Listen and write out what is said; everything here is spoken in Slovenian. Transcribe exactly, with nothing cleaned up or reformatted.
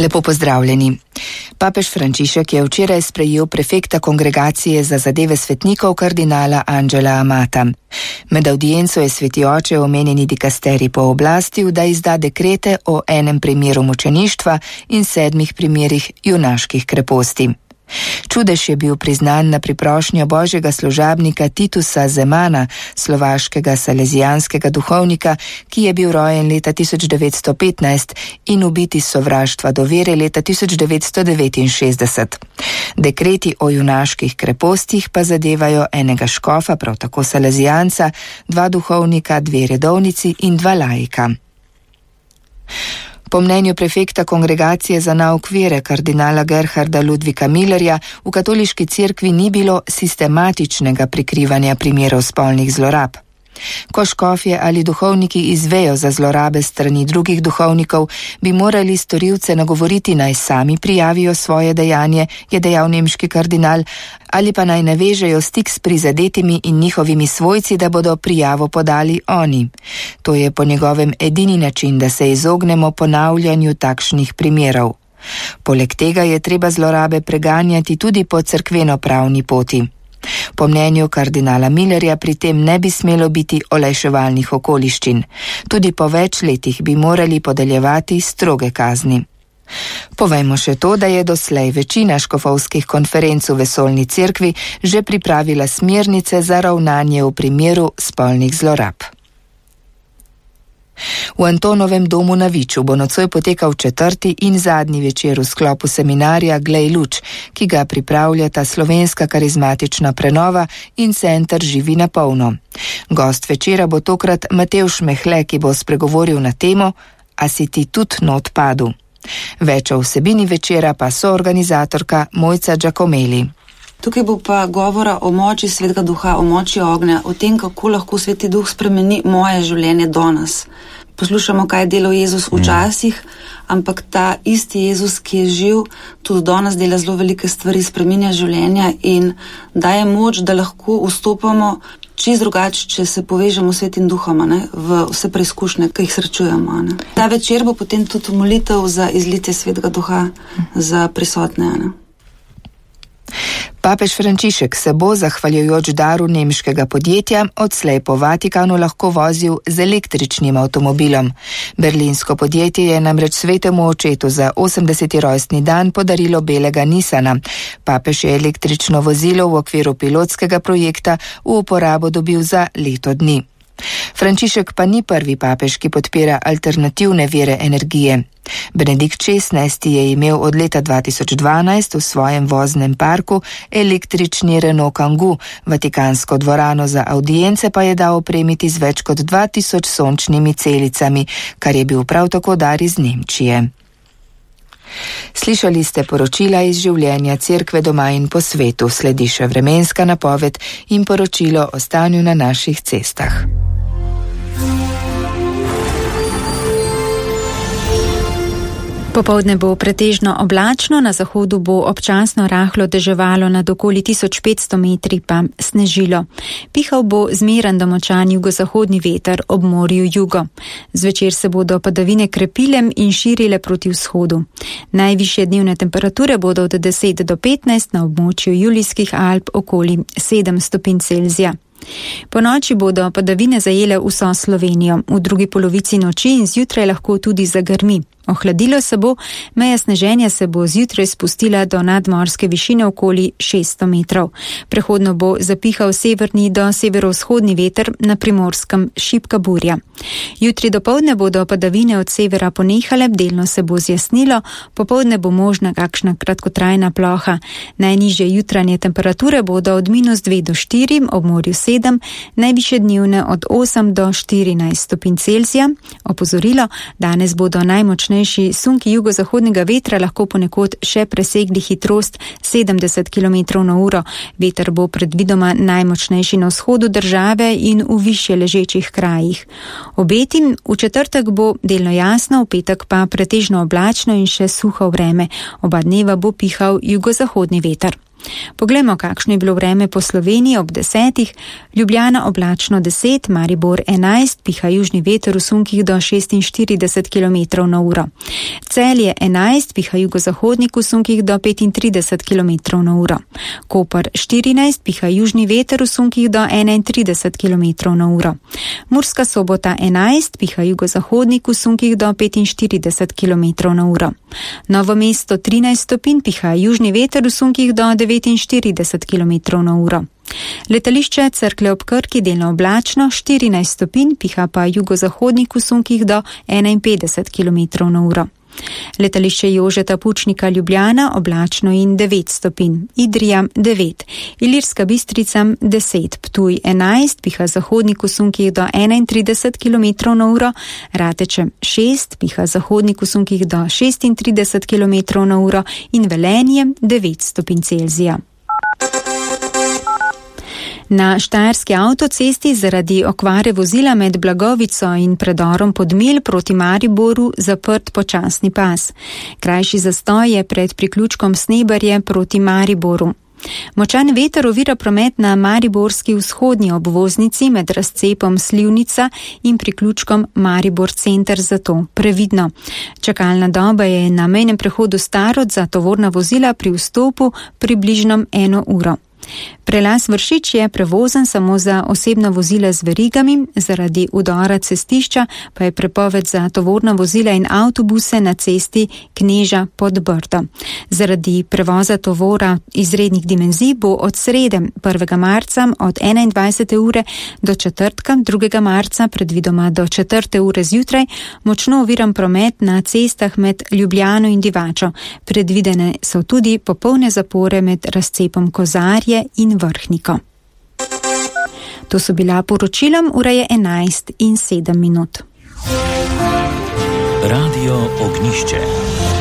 Lepo pozdravljeni. Papež Frančišek je včeraj sprejel prefekta Kongregacije za zadeve svetnikov kardinala Angela Amata. Med avdienco je sveti oče omenjeni dikasterij pooblastil, da izda dekrete o enem primeru mučeništva in sedmih primerih junaških kreposti. Čudež je bil priznan na priprošnjo božjega služabnika Titusa Zemana, slovaškega salezijanskega duhovnika, ki je bil rojen leta tisoč devetsto petnajst in ubit iz sovraštva do vere leta tisoč devetsto devetinšestdeset. Dekreti o junaških krepostih pa zadevajo enega škofa, prav tako salezijanca, dva duhovnika, dve redovnici in dva laika. Po mnenju prefekta Kongregacije za nauk vere kardinala Gerharda Ludvika Millerja v katoliški cerkvi ni bilo sistematičnega prikrivanja primerov spolnih zlorab. Ko škofje ali duhovniki izvejo za zlorabe strani drugih duhovnikov, bi morali storilce nagovoriti naj sami prijavijo svoje dejanje, je dejal nemški kardinal, ali pa naj navežejo stik s prizadetimi in njihovimi svojci, da bodo prijavo podali oni. To je po njegovem edini način, da se izognemo ponavljanju takšnih primerov. Poleg tega je treba zlorabe preganjati tudi po cerkveno-pravni poti. Po mnenju kardinala Millerja pri tem ne bi smelo biti olajševalnih okoliščin. Tudi po več letih bi morali podeljevati stroge kazni. Povejmo še to, da je doslej večina škofovskih konferenc v vesoljni cerkvi že pripravila smernice za ravnanje v primeru spolnih zlorab. V Antonovem domu na Viču bo nocoj potekal četrti in zadnji večer v sklopu seminarja Glej luč, ki ga pripravljata Slovenska karizmatična prenova in Center Živi na polno. Gost večera bo tokrat Matevž Mehle, ki bo spregovoril na temo A si ti tudi not padu. Več o vsebini večera pa soorganizatorka Mojca Giacomeli. Tukaj bo pa govora o moči Svetega Duha, o moči ognja, o tem, kako lahko Sveti Duh spremeni moje življenje danes. Poslušamo, kaj je delal Jezus včasih, ampak ta isti Jezus, ki je živ, tudi danes dela zelo velike stvari, spreminja življenja in daje moč, da lahko vstopamo čisto drugače, če se povežemo s Svetim Duhom, ne, v vse preizkušnje, ki jih srečujemo. Ne. Ta večer bo potem tudi molitev za izlitje Svetega Duha za prisotne. Ne. Papež Frančišek se bo, zahvaljujoč daru nemškega podjetja, odslej po Vatikanu lahko vozil z električnim avtomobilom. Berlinsko podjetje je namreč svetemu očetu za osemdeseti rojstni dan podarilo belega Nissana. Papež je električno vozilo v okviru pilotskega projekta v uporabo dobil za leto dni. Frančišek pa ni prvi papež, ki podpira alternativne vire energije. Benedikt šestnajsti je imel od leta dva tisoč dvanajst v svojem voznem parku električni Renault Kangoo, vatikansko dvorano za audience pa je dal opremiti z več kot dva tisoč sončnimi celicami, kar je bil prav tako dar iz Nemčije. Slišali ste poročila iz življenja cerkve doma in po svetu, sledi še vremenska napoved in poročilo o stanju na naših cestah. Popoldne bo pretežno oblačno, na zahodu bo občasno rahlo deževalo, nad okoli tisoč petsto metri pa snežilo. Pihal bo zmeren do močan jugozahodni veter, ob morju jugo. Zvečer se bodo padavine krepile in širile proti vzhodu. Najvišje dnevne temperature bodo od deset do petnajst, na območju Julijskih Alp okoli sedem stopinj Celzija. Po noči bodo padavine zajele vso Slovenijo, v drugi polovici noči in zjutraj lahko tudi zagrmi. Ohladilo se bo, meja sneženja se bo zjutraj spustila do nadmorske višine okoli šeststo metrov. Prehodno bo zapihal severni do severovzhodni veter, na Primorskem šibka burja. Jutri dopoldne bodo padavine od severa ponehale, delno se bo zjasnilo, popoldne bo možna kakšna kratkotrajna ploha. Najnižje jutranje temperature bodo od minus dve do štiri, ob morju sedem, najvišje dnevne od osem do štirinajst stopinj Celzija. Opozorilo, danes bodo najmočnejši sunki jugozahodnega vetra lahko ponekod še presegli hitrost sedemdeset kilometrov na uro. Veter bo predvidoma najmočnejši na vzhodu države in v višje ležečih krajih. Obeti, v četrtek bo delno jasno, v petek pa pretežno oblačno in še suho vreme. Oba dneva bo pihal jugozahodni veter. Poglejmo, kakšno je bilo vreme po Sloveniji ob desetih. Ljubljana oblačno deset, Maribor enajst, piha južni veter v sunkih do šestinštirideset kilometrov na uro. Celje enajst, piha jugozahodnik v sunkih do petintrideset kilometrov na uro. Koper štirinajst, piha južni veter v sunkih do enaintrideset kilometrov na uro. Murska Sobota enajst, piha jugozahodnik v sunkih do petinštirideset kilometrov na uro. Novo mesto trinajst stopinj, piha južni veter v sunkih do devetinštirideset kilometrov na uro. Letališče Cerklje ob Krki delno oblačno štirinajst stopinj, piha pa jugozahodnik v sunkih do enainpetdeset kilometrov na uro. Letališče Jožeta Pučnika Ljubljana oblačno in devet stopinj, Idrija devet, Ilirska Bistrica deset, Ptuj enajst, piha zahodnik v sunkih do enaintrideset kilometrov na uro, Rateče šest, piha zahodnik v sunkih do šestintrideset kilometrov na uro in Velenje devet stopinj Celzija. Na štajerski avtocesti zaradi okvare vozila med Blagovico in predorom Podmilj proti Mariboru zaprt počasni pas. Krajši zastoj je pred priključkom Snebarje proti Mariboru. Močan veter ovira promet na mariborski vzhodnji obvoznici med razcepom Slivnica in priključkom Maribor center, zato previdno. Čakalna doba je na mejnem prehodu Starod za tovorna vozila pri vstopu približno eno uro. Prelaz Vršič je prevozen samo za osebna vozila z verigami, zaradi udora cestišča pa je prepoved za tovorna vozila in avtobuse na cesti Kneža pod Brdo. Zaradi prevoza tovora izrednih dimenzij bo od srede prvega marca od enaindvajsete ure do četrtka drugega marca predvidoma do četrte ure zjutraj močno oviran promet na cestah med Ljubljano in Divačo. Predvidene so tudi popolne zapore med razcepom Kozarje in Vrhniko. To so bila poročila, ura je enajst in sedem minut. Radio Ognjišče.